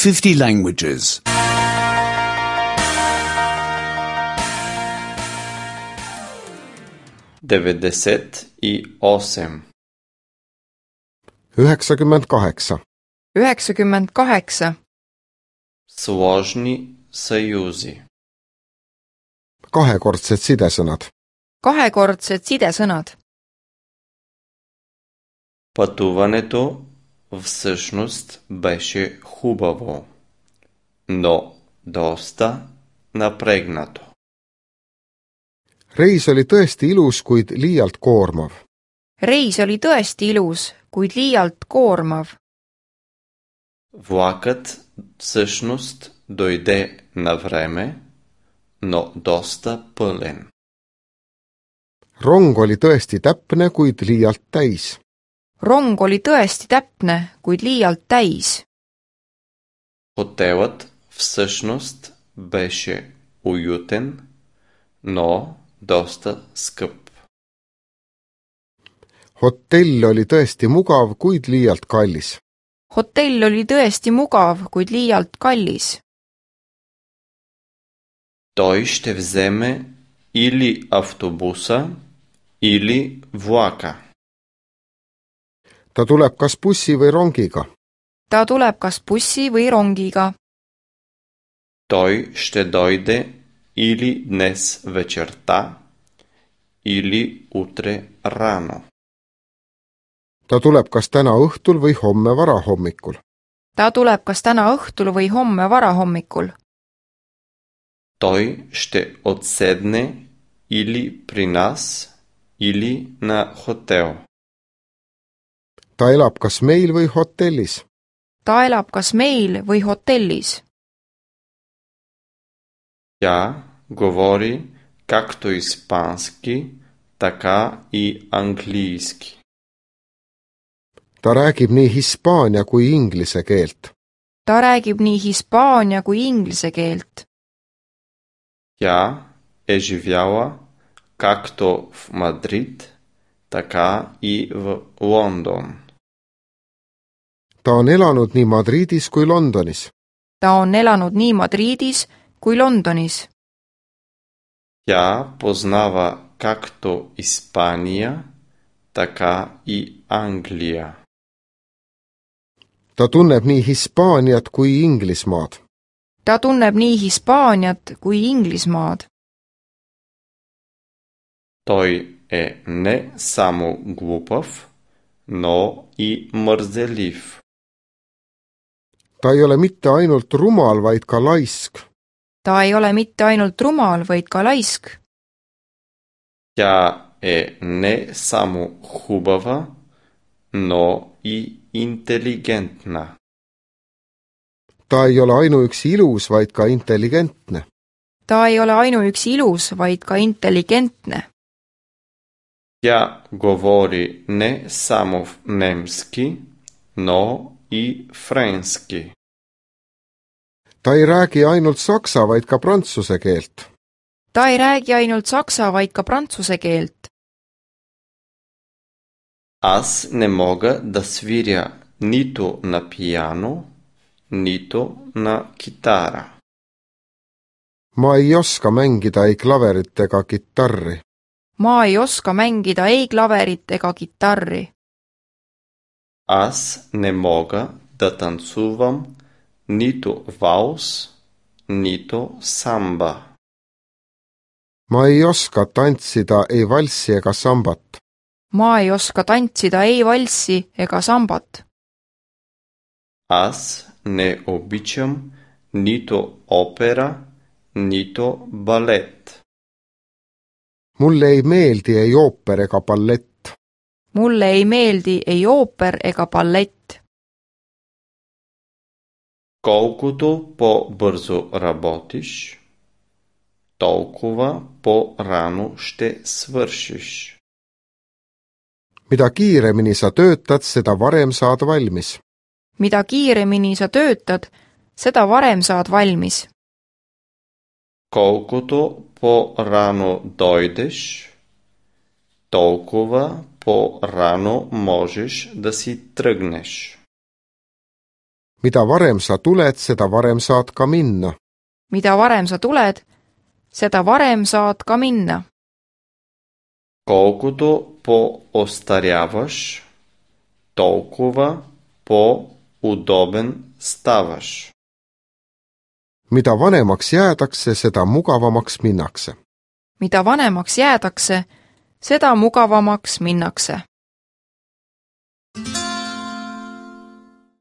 50 languages. 98. 98. 98. Сложни съюзи. Kahekordsed sidesõnad. Kahekordsed sidesõnad. Пътуването всъщност беше хубаво, но доста напрегнато. Reis oli tõesti ilus, kuid liialt koormav. Reis oli tõesti ilus, kuid liialt koormav. Влакът всъщност дойде на време, но доста пълен. Rong oli tõesti täpne, kuid liialt täis. Rong oli tõesti täpne, kuid liialt täis. Хотелът всъщност беше уютен, но доста скъп. Hotell oli tõesti mugav, kuid liialt kallis. Hotell oli tõesti mugav, kuid liialt kallis. Той ще вземе или автобуса, или влака. Ta tuleb kas bussi või rongiga. Ta tuleb kas bussi või rongiga. Той ще дойде или днес вечерта, или утре рано. Ta tuleb kas täna õhtul või homme varahommikul. Ta tuleb kas täna õhtul või homme varahommikul. Той ще отседне или при нас, или на хотел. Ta elab kas meil või hotellis. Ta elab kas meil või hotellis. Тя говори както испански, така и английски. Ta räägib nii hispaania kui inglise keelt. Ta räägib nii hispaania kui inglise keelt. Тя е живяла както в Мадрид, така и в Лондон. Ta on elanud nii Madridis kui Londonis. Ta on elanud nii Madridis kui Londonis. Тя познава както Испания, така и Англия. Ta tunneb nii Hispaaniat kui Inglismaad. Ta tunneb nii Hispaaniat kui Inglismaad. Той е не само глупав, но и мързелив. Ta ei ole mitte ainult rumal, vaid ka laisk. Ta ei ole mitte ainult rumal, vaid ka laisk. Тя е не само хубава, но и интелигентна. Ta ei ole ainuüksi ilus, vaid ka intelligentne. Ta ei ole ainuüksi ilus, vaid ka intelligentne. Тя говори не само в немски, но и френски. Ta ei räägi ainult saksa, vaid ka prantsuse keelt. Ta ei räägi ainult saksa, vaid ka prantsuse keelt. Аз не мога да свиря нито на пиано, нито на китара. Ma ei oska mängida ei klaverit ega kitarri. Ma ei oska mängida ei klaverit ega kitarri. Аз не мога да танцувам нито валс, нито самба. Ma ei oska tantsida ei valssi ega sambat. Ma ei oska tantsida ei valssi ega sambat. Аз не обичам нито опера, нито балет. Mulle ei meeldi ei ooper ega ballett. Mulle ei meeldi ei ooper ega ballett. Колкото по-бързо работиш, толкова по-рано ще свършиш. Mida kiiremini sa töötad, seda varem saad valmis. Mida kiiremini sa töötad, seda varem saad valmis. Колкото по-рано дойдеш, толкова по-рано можеш да си тръгнеш. mida varem sa tuled, seda varem saad ka minna. mida varem sa tuled, seda varem saad ka minna. Колкото по-остаряваш, толкова по-удобен ставаш. Mida vanemaks jäädakse, seda mugavamaks minnakse. mida vanemaks jäädakse, seda mugavamaks minnakse.